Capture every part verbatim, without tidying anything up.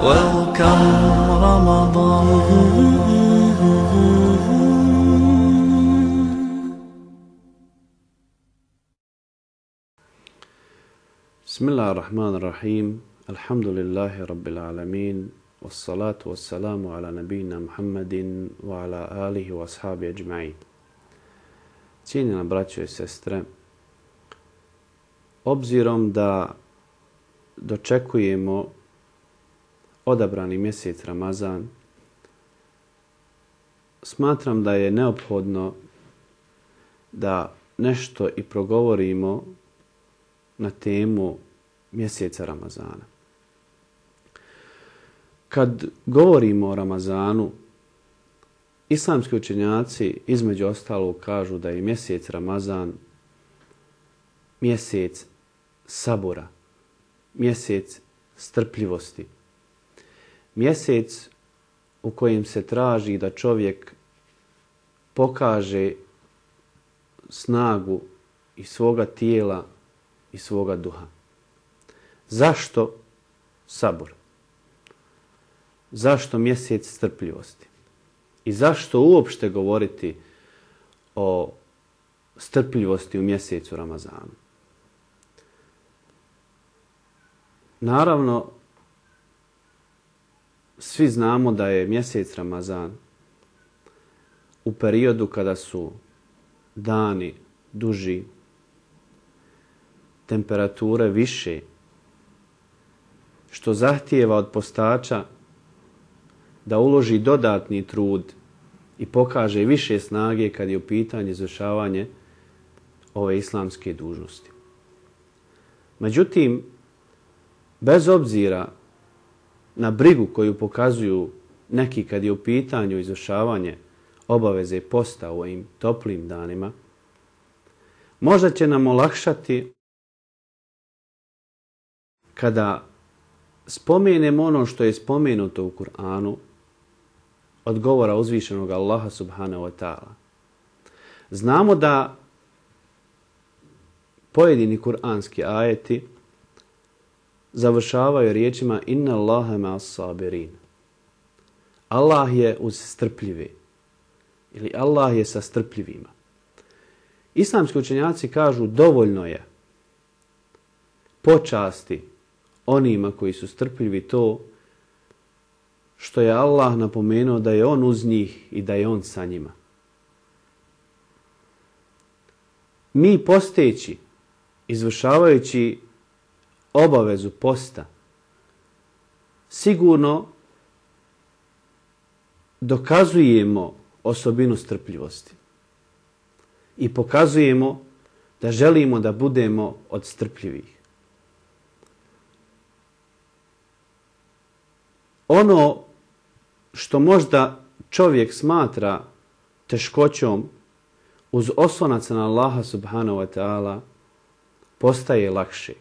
Welcome Ramadan. Bismillahirrahmanirrahim. Alhamdulillahi rabbil alamin. Wassalatu wassalamu ala nabina Muhammadin wa ala alihi wa ashabi ajma'in. Cijenjena braćo i sestre, obzirom da dočekujemo odabrani mjesec Ramazan, smatram da je neophodno da nešto i progovorimo na temu mjeseca Ramazana. Kad govorimo o Ramazanu, islamski učenjaci između ostalog kažu da je mjesec Ramazan mjesec sabora, mjesec strpljivosti, mjesec u kojem se traži da čovjek pokaže snagu i svoga tijela i svoga duha. Zašto sabor? Zašto mjesec strpljivosti? I zašto uopšte govoriti o strpljivosti u mjesecu Ramazanu? Naravno, svi znamo da je mjesec Ramazan u periodu kada su dani duži, temperature više, što zahtijeva od postača da uloži dodatni trud i pokaže više snage kad je u pitanju izvršavanje ove islamske dužnosti. Međutim, bez obzira na brigu koju pokazuju neki kad je u pitanju izvršavanje obaveze posta u ovim toplim danima, možda će nam olakšati kada spomenemo ono što je spomenuto u Kur'anu od govora uzvišenog Allaha subhanahu wa ta'ala. Znamo da pojedini kur'anski ajeti završavaju riječima inna Allaha ma'as sabirin. Allah je uz strpljive ili Allah je sa strpljivima. Islamski učenjaci kažu dovoljno je počasti onima koji su strpljivi to što je Allah napomenuo da je on uz njih i da je on sa njima. Mi posteći, izvršavajući obavezu posta, sigurno dokazujemo osobinu strpljivosti i pokazujemo da želimo da budemo od strpljivih. Ono što možda čovjek smatra teškoćom uz oslonac na Allaha subhanahu wa ta'ala postaje lakše.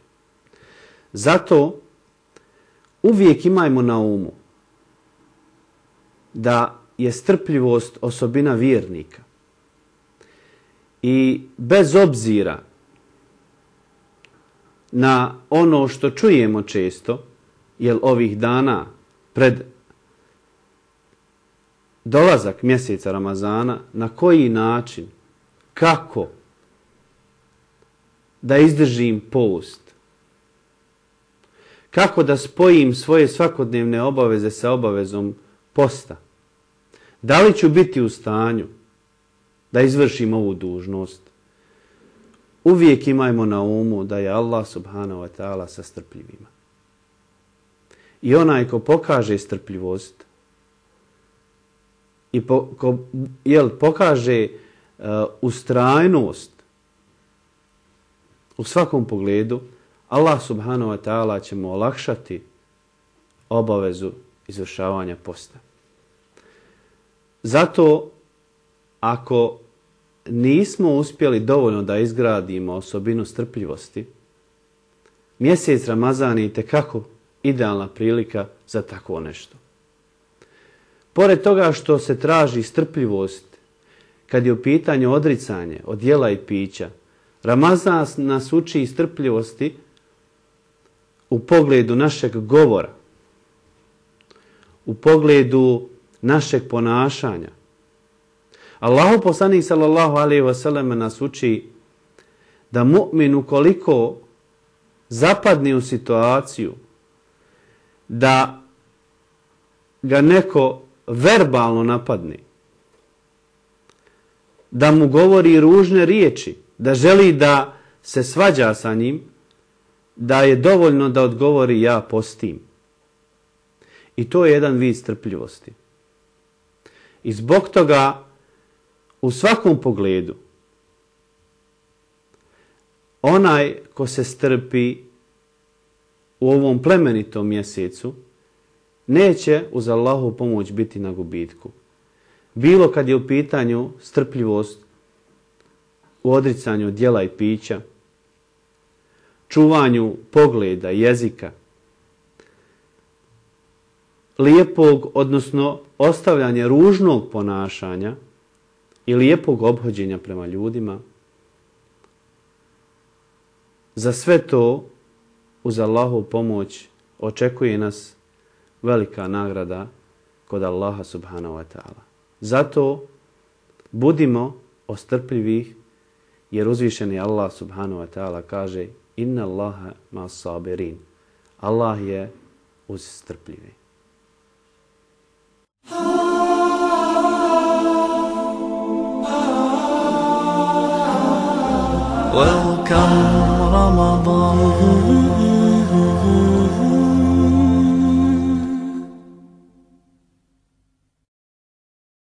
Zato uvijek imajmo na umu da je strpljivost osobina vjernika. I bez obzira na ono što čujemo često, jer ovih dana pred dolazak mjeseca Ramazana, na koji način, kako da izdržim post, kako da spojim svoje svakodnevne obaveze sa obavezom posta, da li ću biti u stanju da izvršim ovu dužnost, uvijek imajmo na umu da je Allah subhanahu wa ta'ala sa strpljivima. I onaj ko pokaže strpljivost i po, ko jel, pokaže uh, ustrajnost u svakom pogledu, Allah subhanahu wa ta'ala će mu olakšati obavezu izvršavanja posta. Zato, ako nismo uspjeli dovoljno da izgradimo osobinu strpljivosti, mjesec Ramazan je itekako idealna prilika za takvo nešto. Pored toga što se traži strpljivost kad je u pitanju odricanje od jela i pića, Ramazan nas uči strpljivosti u pogledu našeg govora. u pogledu našeg ponašanja. Allahu poslanik sallallahu alejhi ve sellem nas uči da mu'min ukoliko zapadne u situaciju da ga neko verbalno napadne, da mu govori ružne riječi, da želi da se svađa sa njim, da je dovoljno da odgovori ja postim. I to je jedan vid strpljivosti. I zbog toga u svakom pogledu onaj ko se strpi u ovom plemenitom mjesecu neće uz Allahu pomoć biti na gubitku. Bilo kad je u pitanju strpljivost u odricanju djela i pića, čuvanju pogleda, jezika, lijepog, odnosno ostavljanje ružnog ponašanja i lijepog ophođenja prema ljudima, za sve to uz Allahovu pomoć očekuje nas velika nagrada kod Allaha subhanahu wa ta'ala. Zato budimo ostrpljivih, jer uzvišeni Allah subhanahu wa ta'ala kaže inna Allaha ma'as sabirin. Allah je uz strpljive. Welcome Ramadan.